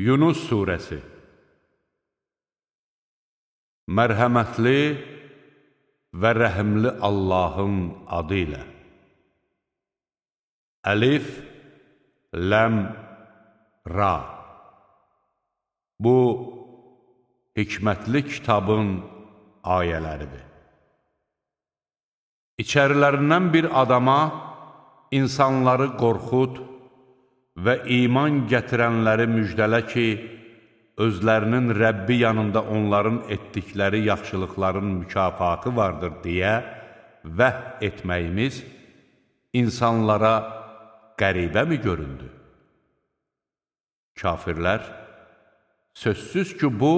Yunus Suresi. Mərhəmətli və rəhimli Allahın adı ilə. Əlif, Ləm, Ra. Bu, hikmətli kitabın ayələridir. İçərilərindən bir adama insanları qorxud və iman gətirənləri müjdələ ki, özlərinin Rəbbi yanında onların etdikləri yaxşılıqların mükafatı vardır deyə vəh etməyimiz insanlara qəribə mi göründü? Kafirlər, sözsüz ki, bu,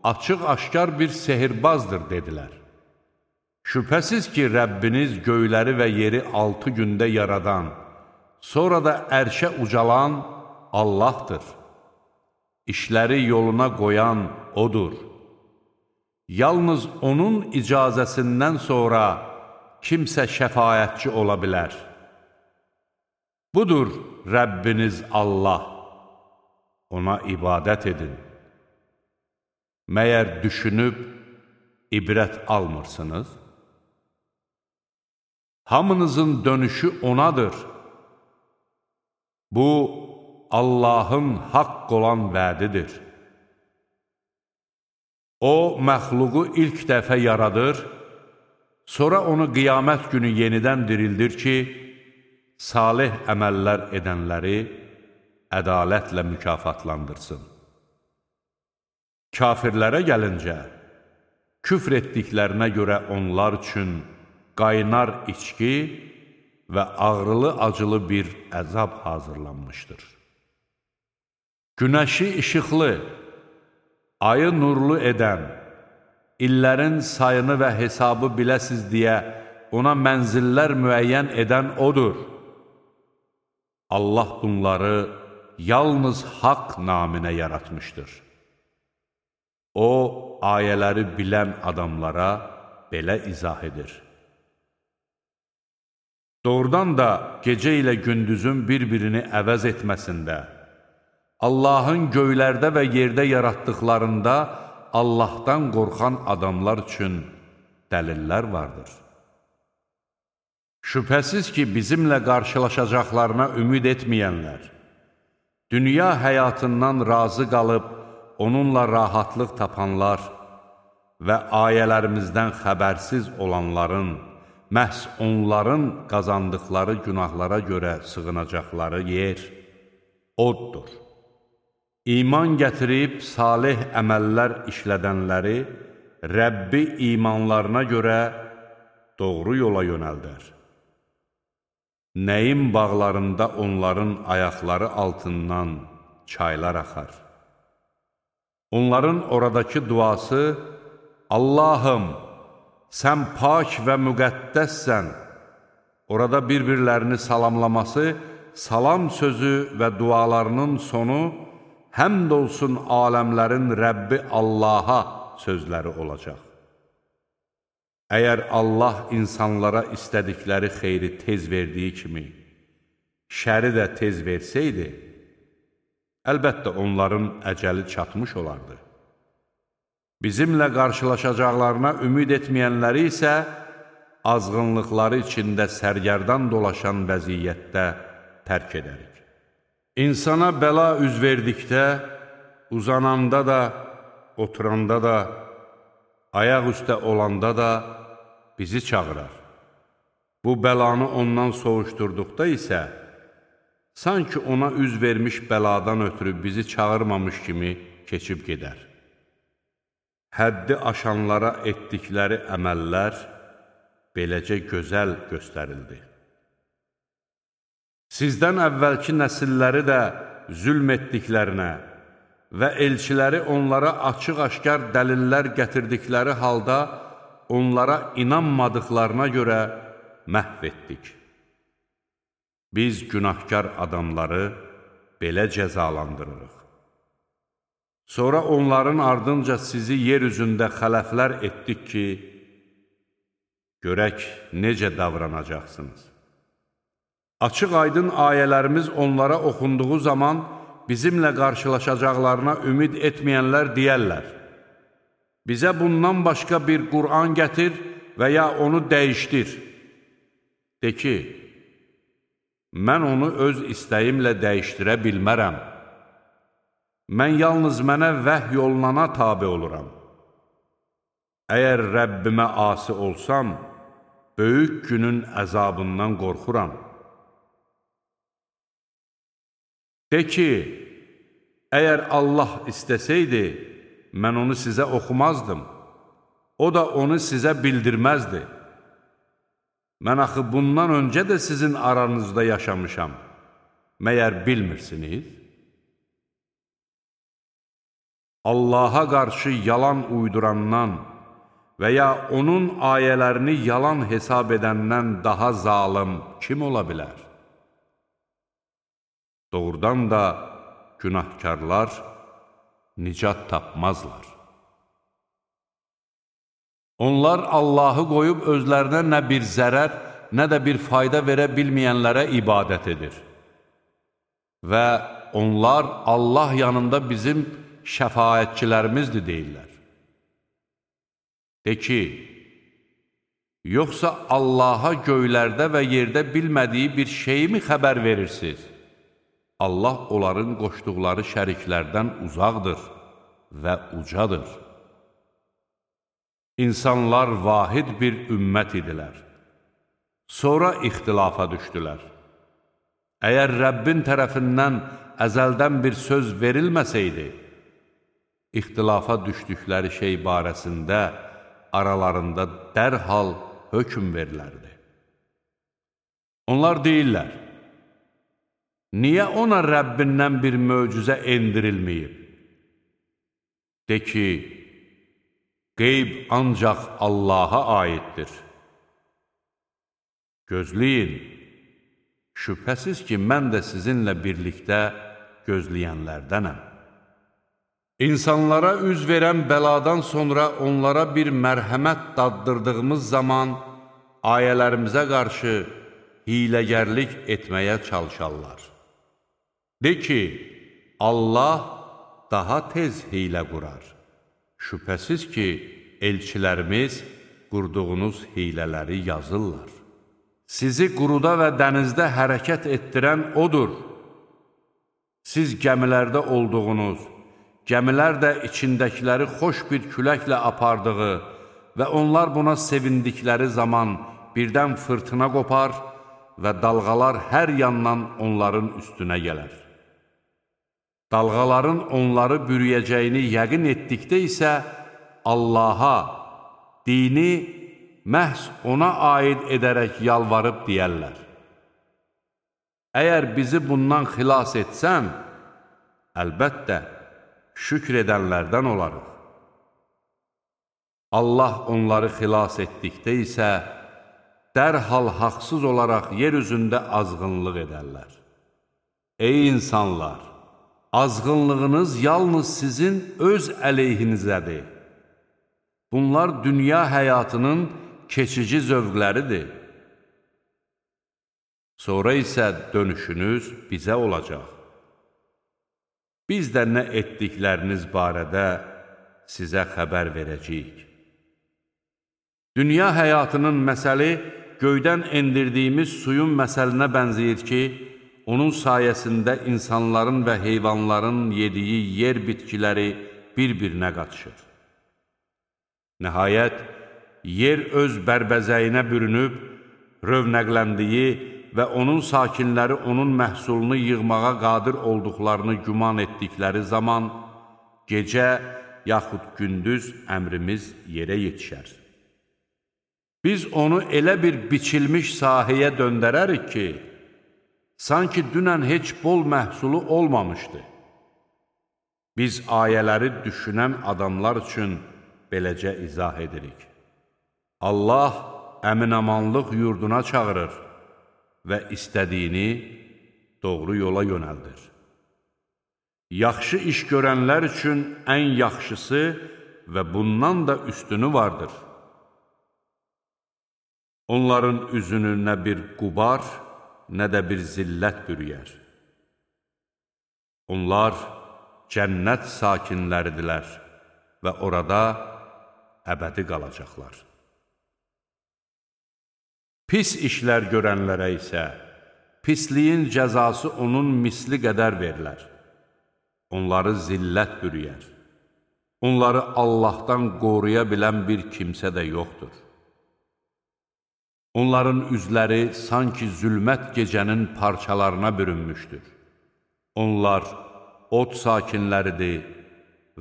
açıq-aşkar bir sehirbazdır, dedilər. Şübhəsiz ki, Rəbbiniz göyləri və yeri 6 gündə yaradan, sonra da ərşə ucalan Allahdır. İşləri yoluna qoyan O'dur. Yalnız O'nun icazəsindən sonra kimsə şəfaətçi ola bilər. Budur Rəbbiniz Allah. Ona ibadət edin. Məyər düşünüb ibrət almırsınız? Hamınızın dönüşü O'nadır. Bu, Allahın haqq olan vədidir. O, məxluqu ilk dəfə yaradır, sonra onu qiyamət günü yenidən dirildir ki, salih əməllər edənləri ədalətlə mükafatlandırsın. Kafirlərə gəlincə, küfr etdiklərinə görə onlar üçün qaynar içki və ağrılı-acılı bir əzab hazırlanmışdır. Günəşi işıqlı, ayı nurlu edən, illərin sayını və hesabı biləsiz deyə ona mənzillər müəyyən edən O'dur. Allah bunları yalnız haqq naminə yaratmışdır. O, ayələri bilən adamlara belə izah edir. Doğrudan da gecə ilə gündüzün bir-birini əvəz etməsində, Allahın göylərdə və yerdə yaratdıqlarında Allahdan qorxan adamlar üçün dəlillər vardır. Şübhəsiz ki, bizimlə qarşılaşacaqlarına ümid etməyənlər, dünya həyatından razı qalıb, onunla rahatlıq tapanlar və ayələrimizdən xəbərsiz olanların, məhz onların qazandıqları günahlara görə sığınacaqları yer O'dur. İman gətirib salih əməllər işlədənləri Rəbbi imanlarına görə doğru yola yönəldər. Nəyin bağlarında onların ayaqları altından çaylar axar. Onların oradakı duası, Allahım, sən pak və müqəddəssən. Orada bir-birlərini salamlaması, salam sözü və dualarının sonu, həmd olsun aləmlərin Rəbbi Allaha sözləri olacaq. Əgər Allah insanlara istədikləri xeyri tez verdiyi kimi, şəri də tez versəydi, əlbəttə onların əcəli çatmış olardı. Bizimlə qarşılaşacaqlarına ümid etməyənləri isə azğınlıqları içində sərgərdan dolaşan vəziyyətdə tərk edərik. İnsana bəla üz verdikdə, uzananda da, oturanda da, ayaq üstə olanda da bizi çağırar. Bu bəlanı ondan soğuşturduqda isə, sanki ona üz vermiş bəladan ötürü bizi çağırmamış kimi keçib gedər. Həddi aşanlara etdikləri əməllər beləcə gözəl göstərildi. Sizdən əvvəlki nəsilləri də zülm etdiklərinə və elçiləri onlara açıq-aşkar dəlillər gətirdikləri halda onlara inanmadıqlarına görə məhv etdik. Biz günahkar adamları belə cəzalandırırıq. Sonra onların ardınca sizi yer üzündə xələflər etdik ki, görək necə davranacaqsınız. Açıq-aydın ayələrimiz onlara oxunduğu zaman bizimlə qarşılaşacaqlarına ümid etməyənlər deyərlər: bizə bundan başqa bir Qur'an gətir və ya onu dəyişdir. De ki, mən onu öz istəyimlə dəyişdirə bilmərəm. Mən yalnız mənə vəhy olunana tabe oluram. Əgər Rəbbimə asi olsam, böyük günün əzabından qorxuram. De ki, əgər Allah istəsəydi, mən onu sizə oxumazdım. O da onu sizə bildirməzdi. Mən axı bundan öncə də sizin aranızda yaşamışam. Məyər bilmirsiniz? Allaha qarşı yalan uydurandan və ya onun ayələrini yalan hesab edəndən daha zalım kim ola bilər? Doğrudan da günahkarlar nicat tapmazlar. Onlar Allahı qoyub özlərinə nə bir zərər, nə də bir fayda verə bilməyənlərə ibadət edir. Və onlar Allah yanında bizim şəfaətçilərimizdir deyirlər. De ki, yoxsa Allaha göylərdə və yerdə bilmədiyi bir şeyi mi xəbər verirsiniz? Allah onların qoşduqları şəriklərdən uzaqdır və ucadır. İnsanlar vahid bir ümmət idilər. Sonra ixtilafa düşdülər. Əgər Rəbbin tərəfindən əzəldən bir söz verilməsəydi, ixtilafa düşdükləri şey barəsində aralarında dərhal hökm verilərdi. Onlar deyirlər: niyə ona Rəbbindən bir möcüzə endirilməyib? De ki, qeyb ancaq Allaha aiddir. Gözləyin, şübhəsiz ki, mən də sizinlə birlikdə gözləyənlərdənəm. İnsanlara üz verən bəladan sonra onlara bir mərhəmət daddırdığımız zaman ayələrimizə qarşı hiləgərlik etməyə çalışarlar. De ki, Allah daha tez hilə qurar. Şübhəsiz ki, elçilərimiz qurduğunuz hilələri yazırlar. Sizi quruda və dənizdə hərəkət etdirən odur. Siz gəmilərdə olduğunuz, gəmilər də içindəkiləri xoş bir küləklə apardığı və onlar buna sevindikləri zaman birdən fırtına qopar və dalğalar hər yandan onların üstünə gələr. Dalğaların onları bürüyəcəyini yəqin etdikdə isə Allaha, dini məhz ona aid edərək yalvarıb deyərlər: əgər bizi bundan xilas etsən, əlbəttə, şükr edənlərdən olarıq. Allah onları xilas etdikdə isə dərhal haqsız olaraq yer üzündə azğınlıq edərlər. Ey insanlar! Azğınlığınız yalnız sizin öz əleyhinizədir. Bunlar dünya həyatının keçici zövqləridir. Sonra isə dönüşünüz bizə olacaq. Biz də nə etdikləriniz barədə sizə xəbər verəcəyik. Dünya həyatının məsəli göydən endirdiyimiz suyun məsəlinə bənzəyir ki, onun sayəsində insanların və heyvanların yediyi yer bitkiləri bir-birinə qatışır. Nəhayət, yer öz bərbəzəyinə bürünüb, rövnəqləndiyi və onun sakinləri onun məhsulunu yığmağa qadir olduqlarını güman etdikləri zaman, gecə yaxud gündüz əmrimiz yerə yetişər. Biz onu elə bir biçilmiş sahəyə döndərərik ki, sanki dünən heç bol məhsulu olmamışdı. Biz ayələri düşünən adamlar üçün beləcə izah edirik. Allah əmin-amanlıq yurduna çağırır və istədiyini doğru yola yönəldir. Yaxşı iş görənlər üçün ən yaxşısı və bundan da üstünü vardır. Onların üzünü nə bir qubar, nə də bir zillət bürüyər. Onlar cənnət sakinləridirlər və orada əbədi qalacaqlar. Pis işlər görənlərə isə pisliyin cəzası onun misli qədər verilər. Onları zillət bürüyər. Onları Allahdan qoruya bilən bir kimsə də yoxdur. Onların üzləri sanki zülmət gecənin parçalarına bürünmüşdür. Onlar od sakinləridir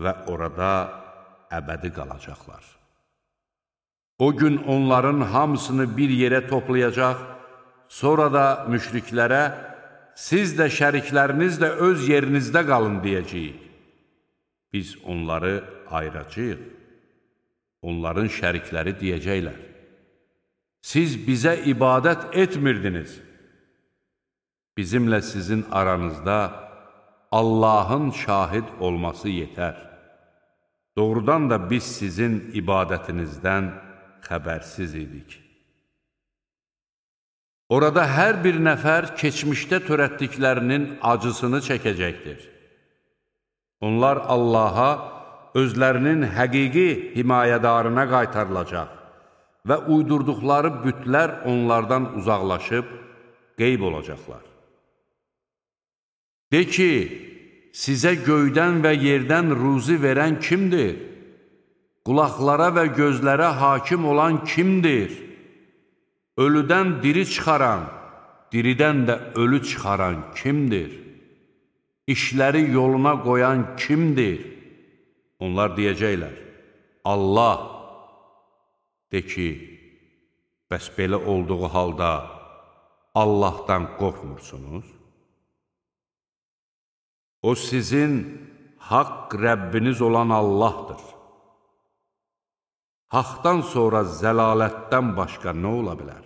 və orada əbədi qalacaqlar. O gün onların hamısını bir yerə toplayacaq, sonra da müşriklərə, siz də şərikləriniz də öz yerinizdə qalın deyəcəyik. Biz onları ayıracağıq. Onların şərikləri deyəcəklər. Siz bizə ibadət etmirdiniz. Bizimlə sizin aranızda Allahın şahid olması yetər. Doğrudan da biz sizin ibadətinizdən xəbərsiz idik. Orada hər bir nəfər keçmişdə törətdiklərinin acısını çəkəcəkdir. Onlar Allaha özlərinin həqiqi himayədarına qaytarılacaq və uydurduqları bütlər onlardan uzaqlaşıb qeyb olacaqlar. De ki, sizə göydən və yerdən ruzi verən kimdir? Qulaqlara və gözlərə hakim olan kimdir? Ölüdən diri çıxaran, diridən də ölü çıxaran kimdir? İşləri yoluna qoyan kimdir? Onlar deyəcəklər, Allah. De ki, bəs belə olduğu halda Allahdan qorxmursunuz? O sizin haqq Rəbbiniz olan Allahdır. Haqdan sonra zəlalətdən başqa nə ola bilər?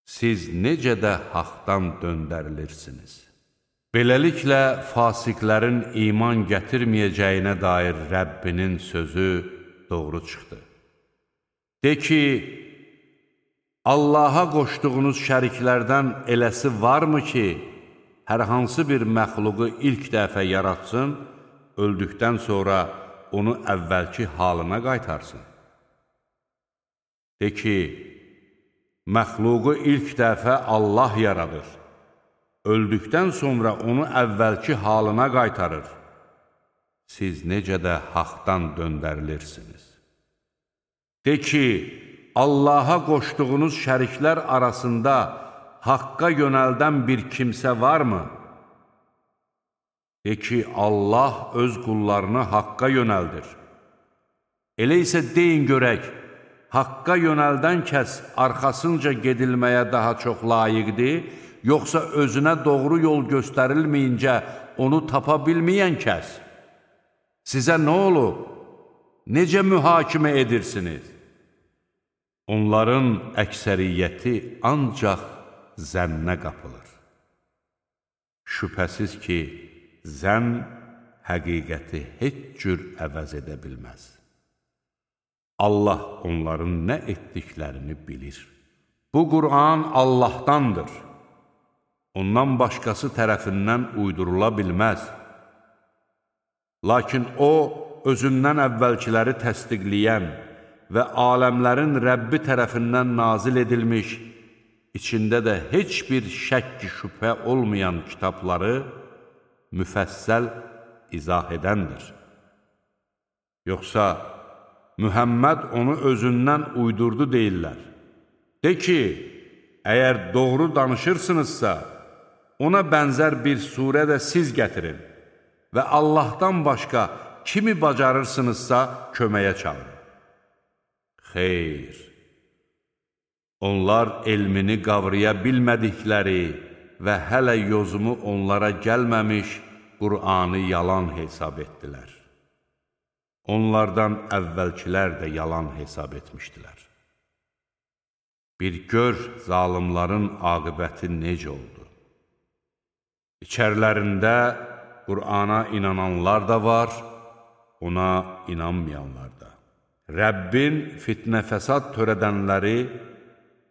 Siz necə də haqdan döndərilirsiniz? Beləliklə, fasiqlərin iman gətirməyəcəyinə dair Rəbbinin sözü doğru çıxdı. De ki, Allaha qoşduğunuz şəriklərdən eləsi varmı ki, hər hansı bir məxluqu ilk dəfə yaratsın, öldükdən sonra onu əvvəlki halına qaytarsın? De ki, məxluqu ilk dəfə Allah yaradır, öldükdən sonra onu əvvəlki halına qaytarır. Siz necə də haqdan döndərilirsiniz? De ki, Allaha qoşduğunuz şəriklər arasında haqqa yönəldən bir kimsə varmı? De ki, Allah öz qullarını haqqa yönəldir. Elə isə deyin görək, haqqa yönəldən kəs arxasınca gedilməyə daha çox layiqdir, yoxsa özünə doğru yol göstərilməyincə onu tapa bilməyən kəs? Sizə nə olub? Necə mühakimə edirsiniz? Onların əksəriyyəti ancaq zənnə qapılır. Şübhəsiz ki, zənn həqiqəti heç cür əvəz edə bilməz. Allah onların nə etdiklərini bilir. Bu Qur'an Allahdandır. Ondan başqası tərəfindən uydurula bilməz. Lakin o, özündən əvvəlkiləri təsdiqləyən və aləmlərin Rəbbi tərəfindən nazil edilmiş, içində də heç bir şəkk şübhə olmayan kitabları müfəssəl izah edəndir. Yoxsa Mühəmməd onu özündən uydurdu deyirlər. De ki, əgər doğru danışırsınızsa, ona bənzər bir surə də siz gətirin və Allahdan başqa kimi bacarırsınızsa köməyə çağırın. Xeyr, onlar elmini qavraya bilmədikləri və hələ yozumu onlara gəlməmiş Qur'anı yalan hesab etdilər. Onlardan əvvəlkilər də yalan hesab etmişdilər. Bir gör zalimların aqibəti necə oldu. İçərlərində Qur'ana inananlar da var, ona inanmayanlar da. Rəbbin fitnə fəsad törədənləri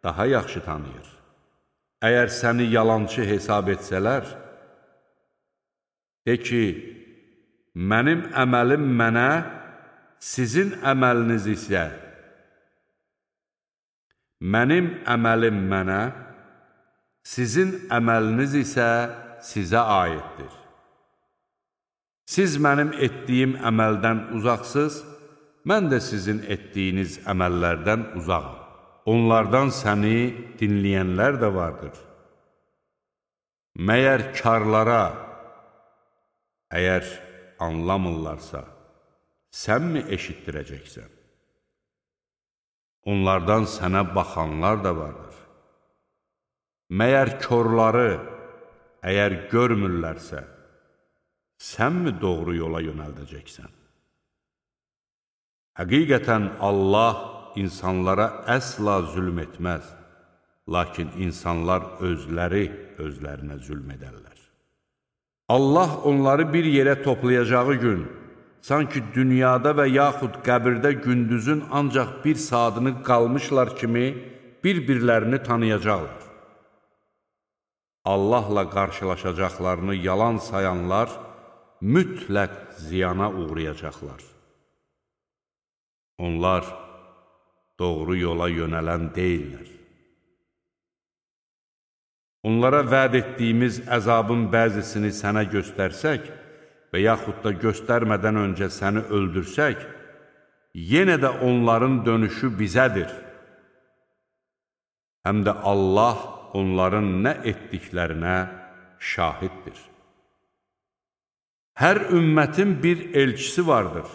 daha yaxşı tanıyır. Əgər səni yalançı hesab etsələr, De ki, mənim əməlim mənə, sizin əməliniz isə sizə aiddir. Siz mənim etdiyim əməldən uzaqsınız, mən də sizin etdiyiniz əməllərdən uzaqam. Onlardan səni dinləyənlər də vardır. Məyər karlara, əgər anlamırlarsa, sən mi eşitdirəcəksən? Onlardan sənə baxanlar da vardır. Məyər körləri, əgər görmürlərsə, sən mi doğru yola yönəldəcəksən? Həqiqətən Allah insanlara əsla zülm etməz, lakin insanlar özlərinə zülm edərlər. Allah onları bir yerə toplayacağı gün, sanki dünyada və yaxud qəbirdə gündüzün ancaq bir saatını qalmışlar kimi bir-birlərini tanıyacaqlar. Allahla qarşılaşacaqlarını yalan sayanlar mütləq ziyana uğrayacaqlar. Onlar doğru yola yönələn deyirlər. Onlara vəd etdiyimiz əzabın bəzisini sənə göstərsək və yaxud da göstərmədən öncə səni öldürsək, yenə də onların dönüşü bizədir. Həm də Allah onların nə etdiklərinə şahiddir. Hər ümmətin bir elçisi vardır.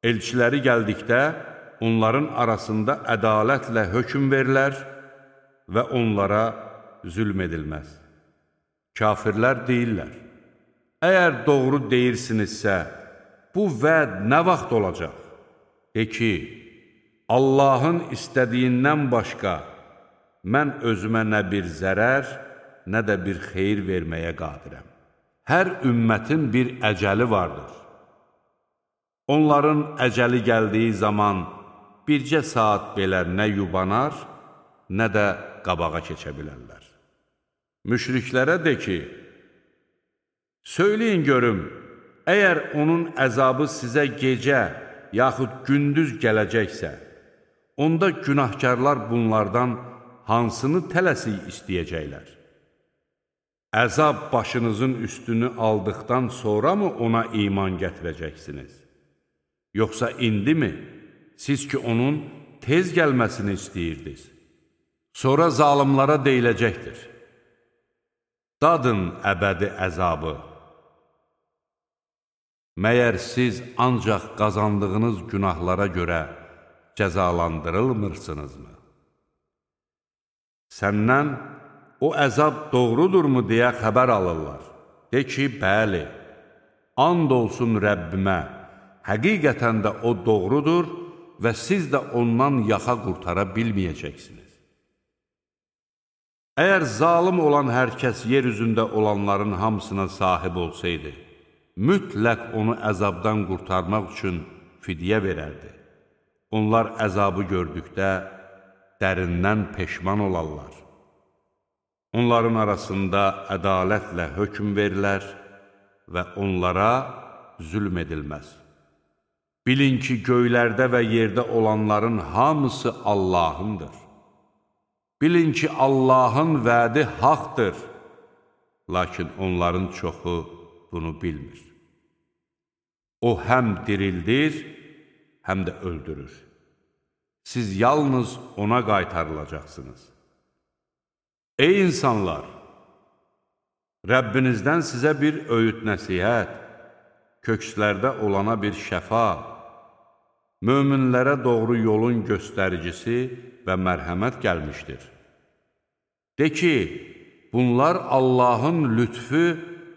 Elçiləri gəldikdə, onların arasında ədalətlə hökm verilər və onlara zülm edilməz. Kafirlər deyirlər, əgər doğru deyirsinizsə, bu vəd nə vaxt olacaq? De ki, Allahın istədiyindən başqa mən özümə nə bir zərər, nə də bir xeyir verməyə qadirəm. Hər ümmətin bir əcəli vardır. Onların əcəli gəldiyi zaman bircə saat belə nə yubanar, nə də qabağa keçə bilərlər. Müşriklərə de ki, söyləyin görüm, əgər onun əzabı sizə gecə yaxud gündüz gələcəksə, onda günahkarlar bunlardan hansını tələsik istəyəcəklər? Əzab başınızın üstünü aldıqdan sonra mı ona iman gətirəcəksiniz? Yoxsa indi mi? Siz ki, onun tez gəlməsini istəyirdiniz. Sonra zalimlara deyiləcəkdir. Dadın əbədi əzabı. Məyər siz ancaq qazandığınız günahlara görə cəzalandırılmırsınızmı? Səndən o əzab doğrudurmu deyə xəbər alırlar. De ki, bəli, and olsun Rəbbimə, həqiqətən də o doğrudur və siz də ondan yaxa qurtara bilməyəcəksiniz. Əgər zalim olan hər kəs yer üzündə olanların hamısına sahib olsaydı, mütləq onu əzabdan qurtarmaq üçün fidyə verərdi. Onlar əzabı gördükdə dərindən peşman olarlar. Onların arasında ədalətlə hökm verilər və onlara zülm edilməz. Bilin ki, göylərdə və yerdə olanların hamısı Allahındır. Bilin ki, Allahın vədi haqdır, lakin onların çoxu bunu bilmir. O həm dirildir, həm də öldürür. Siz yalnız ona qaytarılacaqsınız. Ey insanlar! Rəbbinizdən sizə bir öyüd nəsihət, kökslərdə olana bir şəfa, möminlərə doğru yolun göstəricisi və mərhəmət gəlmişdir. De ki, bunlar Allahın lütfü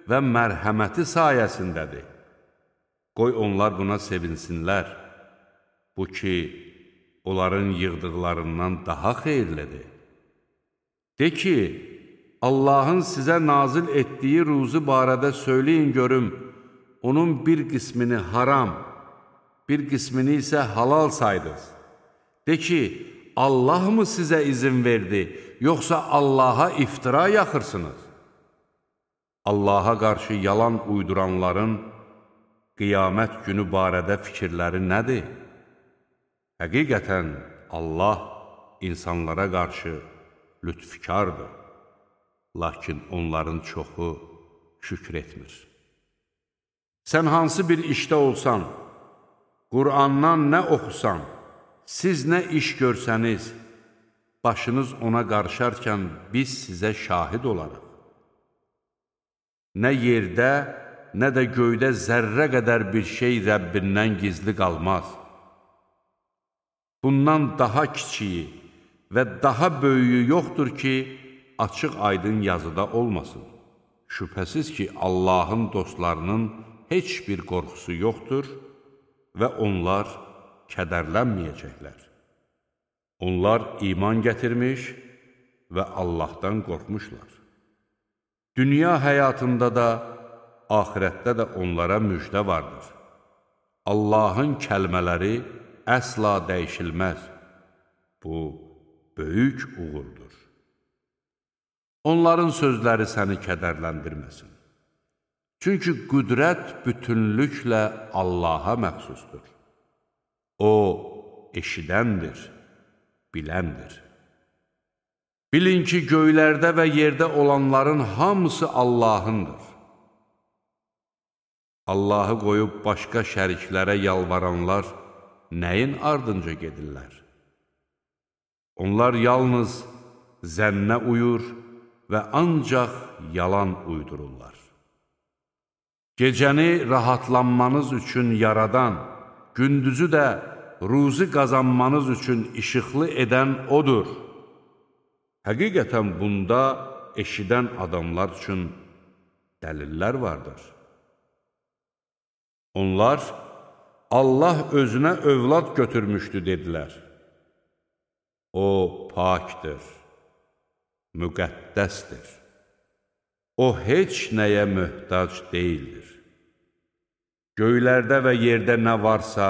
və mərhəməti sayəsindədir. Qoy onlar buna sevinsinlər. Bu ki, onların yığdıqlarından daha xeyirlidir. De ki, Allahın sizə nazil etdiyi ruzu barədə söyləyin görüm, onun bir qismini haram, bir qismini isə halal saydınız. De ki, Allah mı sizə izin verdi, yoxsa Allaha iftira yaxırsınız? Allaha qarşı yalan uyduranların qiyamət günü barədə fikirləri nədir? Həqiqətən Allah insanlara qarşı lütfkardır, lakin onların çoxu şükür etmir. Sən hansı bir işdə olsan, Qur'andan nə oxusan, siz nə iş görsəniz, başınız ona qarışarkən biz sizə şahid olarıq. Nə yerdə, nə də göydə zərrə qədər bir şey Rəbbindən gizli qalmaz. Bundan daha kiçiyi və daha böyüyü yoxdur ki, açıq aydın yazıda olmasın. Şübhəsiz ki, Allahın dostlarının heç bir qorxusu yoxdur və onlar kədərlənməyəcəklər. Onlar iman gətirmiş və Allahdan qorxmuşlar. Dünya həyatında da, axirətdə də onlara müjdə vardır. Allahın kəlmələri əsla dəyişilməz. Bu, böyük uğurdur. Onların sözləri səni kədərləndirməsin. Çünki qüdrət bütünlüklə Allaha məxsusdur. O, eşidəndir, biləndir. Bilin ki, göylərdə və yerdə olanların hamısı Allahındır. Allahı qoyub başqa şəriklərə yalvaranlar nəyin ardınca gedirlər? Onlar yalnız zənnə uyur və ancaq yalan uydururlar. Gecəni rahatlanmanız üçün yaradan, gündüzü də ruzi qazanmanız üçün işıqlı edən odur. Həqiqətən bunda eşidən adamlar üçün dəlillər vardır. Onlar, Allah özünə övlad götürmüşdü, dedilər. O, pakdır, müqəddəsdir. O, heç nəyə möhtac deyildir. Göylərdə və yerdə nə varsa,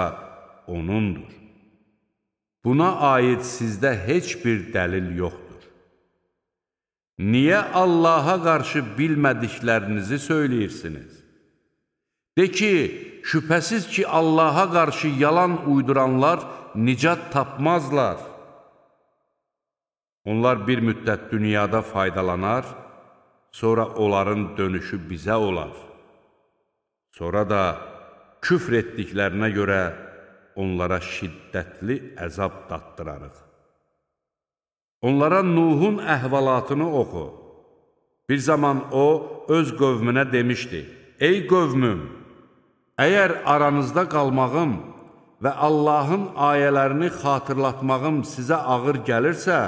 O'nundur. Buna aid sizdə heç bir dəlil yoxdur. Niyə Allaha qarşı bilmədiklərinizi söyləyirsiniz? De ki, şübhəsiz ki, Allaha qarşı yalan uyduranlar nicat tapmazlar. Onlar bir müddət dünyada faydalanar, sonra onların dönüşü bizə olar. Sonra da küfr etdiklərinə görə onlara şiddətli əzab daddırarıq. Onlara Nuhun əhvalatını oxu. Bir zaman o, öz qövmünə demişdi, ey qövmüm, əgər aranızda qalmağım və Allahın ayələrini xatırlatmağım sizə ağır gəlirsə,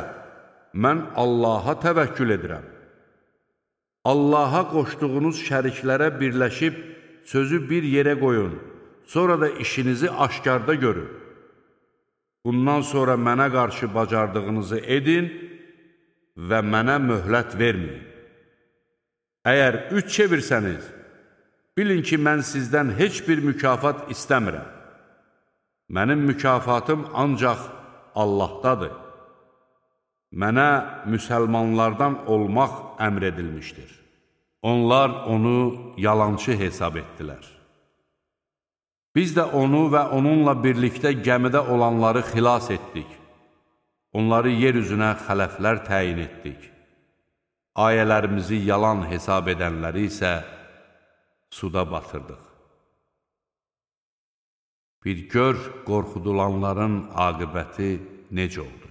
mən Allaha təvəkkül edirəm. Allaha qoşduğunuz şəriklərə birləşib sözü bir yerə qoyun, sonra da işinizi aşkarda görün. Bundan sonra mənə qarşı bacardığınızı edin və mənə möhlət verməyin. Əgər üç çevirsəniz, bilin ki, mən sizdən heç bir mükafat istəmirəm. Mənim mükafatım ancaq Allahdadır. Mənə müsəlmanlardan olmaq əmr edilmişdir. Onlar onu yalançı hesab etdilər. Biz də onu və onunla birlikdə gəmidə olanları xilas etdik. Onları yer üzünə xələflər təyin etdik. Ayələrimizi yalan hesab edənləri isə suda batırdıq. Bir gör qorxudulanların aqibəti necə oldu.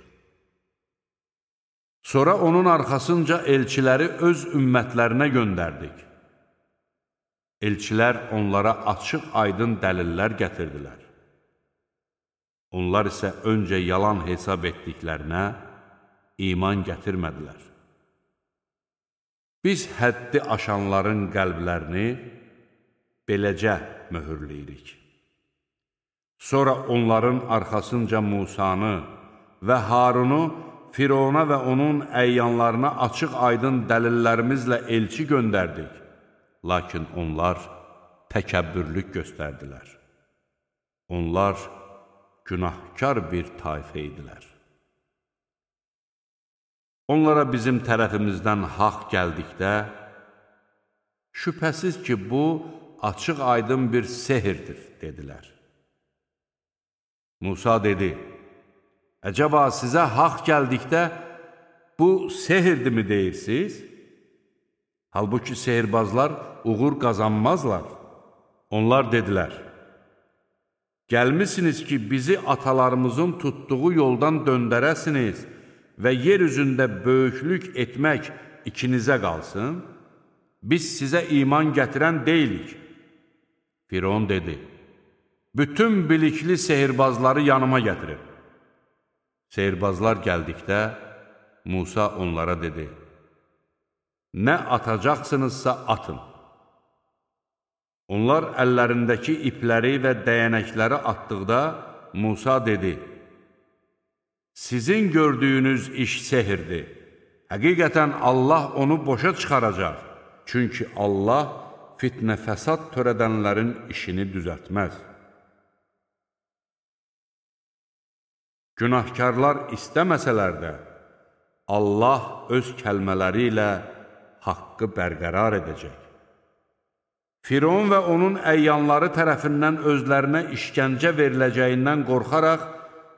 Sonra onun arxasınca elçiləri öz ümmətlərinə göndərdik. Elçilər onlara açıq aydın dəlillər gətirdilər. Onlar isə öncə yalan hesab etdiklərinə iman gətirmədilər. Biz həddi aşanların qəlblərini beləcə möhürləyirik. Sonra onların arxasınca Musanı və Harunu Firona və onun əyyanlarına açıq aydın dəlillərimizlə elçi göndərdik. Lakin onlar təkəbbürlük göstərdilər. Onlar günahkar bir tayfə idilər. Onlara bizim tərəfimizdən haqq gəldikdə, Şübhəsiz ki, bu açıq aydın bir sehirdir, dedilər. Musa dedi, əcəba sizə haqq gəldikdə, bu sehirdirmi deyirsiniz? Halbuki sehirbazlar uğur qazanmazlar. Onlar dedilər, gəlmisiniz ki, bizi atalarımızın tutduğu yoldan döndərəsiniz və yer üzündə böyüklük etmək ikinizə qalsın, biz sizə iman gətirən deyilik. Firon dedi, bütün bilikli sehirbazları yanıma gətirin. Sehirbazlar gəldikdə, Musa onlara dedi, nə atacaqsınızsa atın. Onlar əllərindəki ipləri və dəyənəkləri atdıqda, Musa dedi, sizin gördüyünüz iş sehirdir. Həqiqətən Allah onu boşa çıxaracaq. Çünki Allah fitnə fəsad törədənlərin işini düzəltməz. Günahkarlar istəməsələr də, Allah öz kəlmələri ilə haqqı bərqərar edəcək. Firon və onun əyyanları tərəfindən özlərinə işgəncə veriləcəyindən qorxaraq,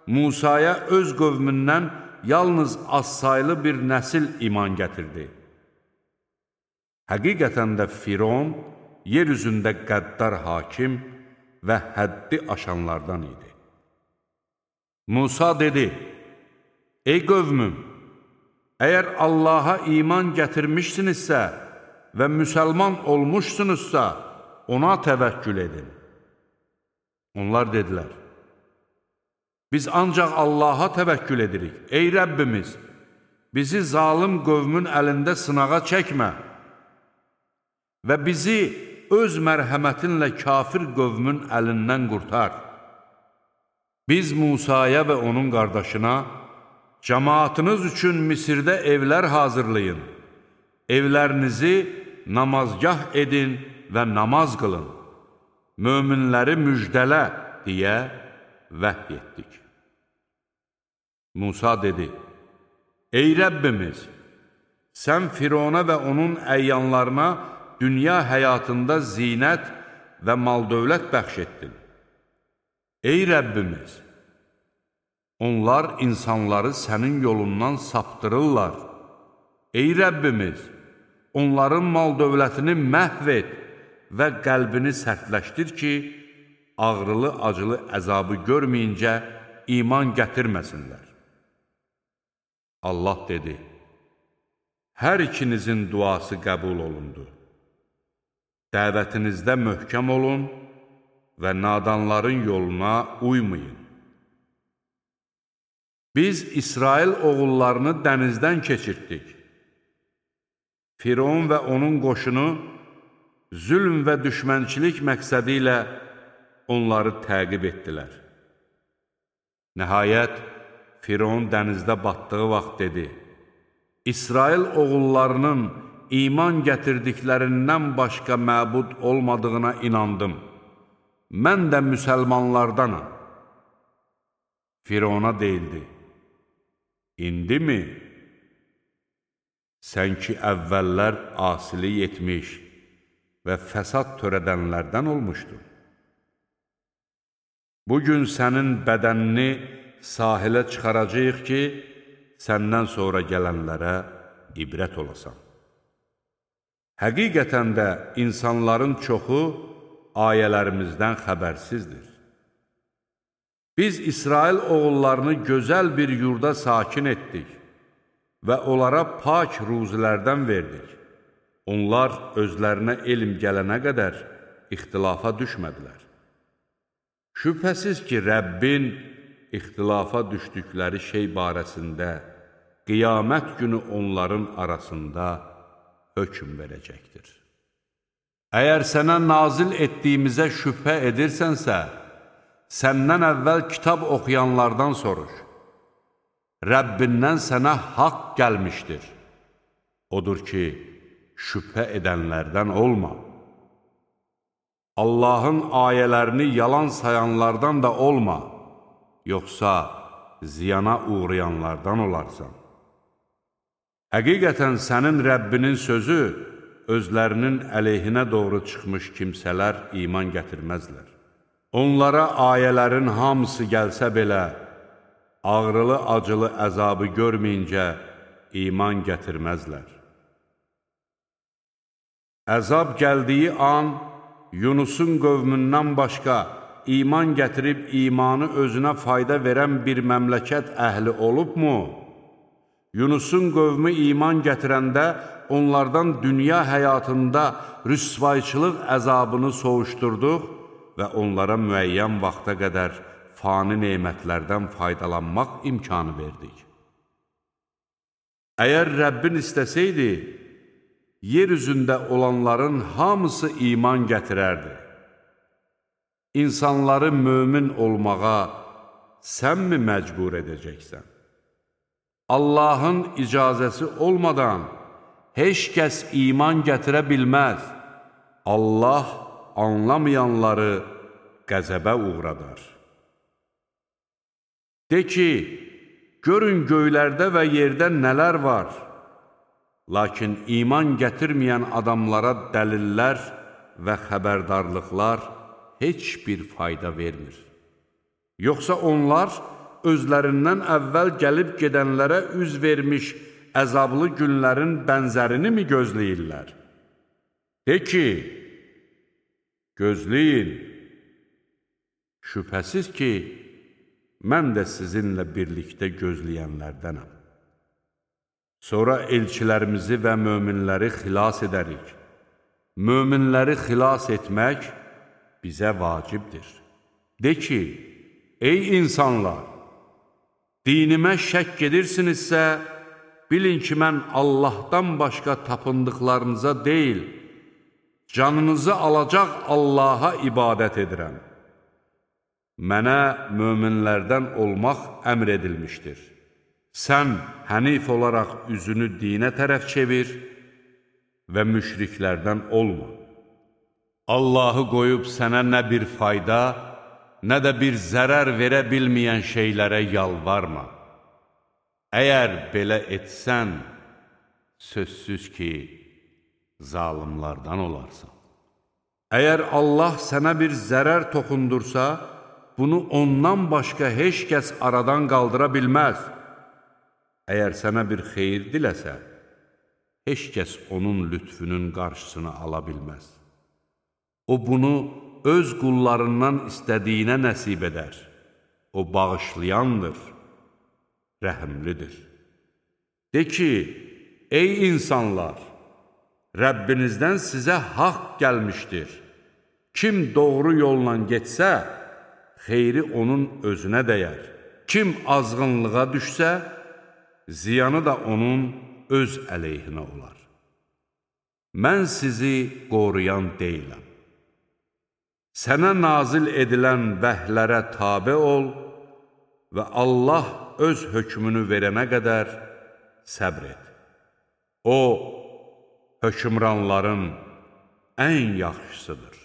Musaya öz qövmündən yalnız azsaylı bir nəsil iman gətirdi. Həqiqətən də Firon yer üzündə qəddar hakim və həddi aşanlardan idi. Musa dedi, ey qövmüm, əgər Allaha iman gətirmişsinizsə və müsəlman olmuşsunuzsa, ona təvəkkül edin. Onlar dedilər, biz ancaq Allaha təvəkkül edirik. Ey Rəbbimiz, bizi zalım qövmün əlində sınağa çəkmə və bizi öz mərhəmətinlə kafir qövmün əlindən qurtar. Biz Musaya və onun qardaşına, cəmaatınız üçün Misirdə evlər hazırlayın, evlərinizi namazgah edin və namaz qılın, möminləri müjdələ deyə vəhy etdik. Musa dedi, ey Rəbbimiz, sən Firona və onun əyyanlarına dünya həyatında zinət və mal-dövlət bəxş etdin. Ey Rəbbimiz, onlar insanları sənin yolundan saptırırlar. Ey Rəbbimiz, onların mal-dövlətini məhv et və qəlbini sərtləşdir ki, ağrılı-acılı əzabı görməyincə iman gətirməsinlər. Allah dedi, hər ikinizin duası qəbul olundu. Dəvətinizdə möhkəm olun və nadanların yoluna uymayın. Biz İsrail oğullarını dənizdən keçirtdik. Firon və onun qoşunu zülm və düşmənçilik məqsədi ilə onları təqib etdilər. Nəhayət, Firon dənizdə batdığı vaxt dedi, İsrail oğullarının iman gətirdiklərindən başqa məbud olmadığına inandım. Mən də müsəlmanlardanam. Firona deyildi, İndi mi? Sən ki, əvvəllər asilik etmiş və fəsad törədənlərdən olmuşdun. Bugün sənin bədənini sahilə çıxaracaq ki, səndən sonra gələnlərə ibrət olasan. Həqiqətən də insanların çoxu ayələrimizdən xəbərsizdir. Biz İsrail oğullarını gözəl bir yurda sakin etdik və onlara pak ruzilərdən verdik. Onlar özlərinə elm gələnə qədər ixtilafa düşmədilər. Şübhəsiz ki, Rəbbin ixtilafa düşdükləri şey barəsində qiyamət günü onların arasında hökm verəcəkdir. Əgər sənə nazil etdiyimizə şübhə edirsənsə, səndən əvvəl kitab oxuyanlardan soruş. Rəbbindən sənə haqq gəlmişdir. Odur ki, şübhə edənlərdən olma. Allahın ayələrini yalan sayanlardan da olma, yoxsa ziyana uğrayanlardan olarsan. Həqiqətən sənin Rəbbinin sözü özlərinin əleyhinə doğru çıxmış kimsələr iman gətirməzlər. Onlara ayələrin hamısı gəlsə belə, ağrılı-acılı əzabı görməyincə iman gətirməzlər. Əzab gəldiyi an, Yunusun qövmündən başqa iman gətirib imanı özünə fayda verən bir məmləkət əhli olubmu? Yunusun qövmü iman gətirəndə onlardan dünya həyatında rüsvayçılıq əzabını soğuşdurduq və onlara müəyyən vaxta qədər fani nemətlərdən faydalanmaq imkanı verdik. Əgər Rəbbin istəsəydi, yer üzündə olanların hamısı iman gətirərdi. İnsanları mömin olmağa sənmi məcbur edəcəksən? Allahın icazəsi olmadan heç kəs iman gətirə bilməz. Allah anlamayanları qəzəbə uğradar. De ki, görün göylərdə və yerdə nələr var. Lakin iman gətirməyən adamlara dəlillər və xəbərdarlıqlar heç bir fayda vermir. Yoxsa onlar özlərindən əvvəl gəlib gedənlərə üz vermiş əzablı günlərin bənzərini mi gözləyirlər? De ki, gözləyin. Şübhəsiz ki, mən də sizinlə birlikdə gözləyənlərdənəm. Sonra elçilərimizi və möminləri xilas edərik. Möminləri xilas etmək bizə vacibdir. De ki, ey insanlar, dinimə şəkk edirsinizsə, bilin ki, mən Allahdan başqa tapındıqlarınıza deyil, canınızı alacaq Allaha ibadət edirəm. Mənə möminlərdən olmaq əmr edilmişdir. Sən hənif olaraq üzünü dinə tərəf çevir və müşriklərdən olma. Allahı qoyub sənə nə bir fayda, nə də bir zərər verə bilməyən şeylərə yalvarma. Əgər belə etsən, sözsüz ki, zalimlardan olarsan. Əgər Allah sənə bir zərər toxundursa, bunu ondan başqa heç kəs aradan qaldıra bilməz. Əgər sənə bir xeyir diləsə, heç kəs onun lütfünün qarşısını ala bilməz. O bunu öz qullarından istədiyinə nəsib edər. O bağışlayandır, rəhimlidir. De ki, ey insanlar, Rəbbinizdən sizə haqq gəlmişdir. Kim doğru yolla getsə, xeyri onun özünə dəyər. Kim azğınlığa düşsə, ziyanı da onun öz əleyhinə olar. Mən sizi qoruyan deyiləm. Sənə nazil edilən vəhlərə tabe ol və Allah öz hökmünü verənə qədər səbr et. O, hökmranların ən yaxşısıdır.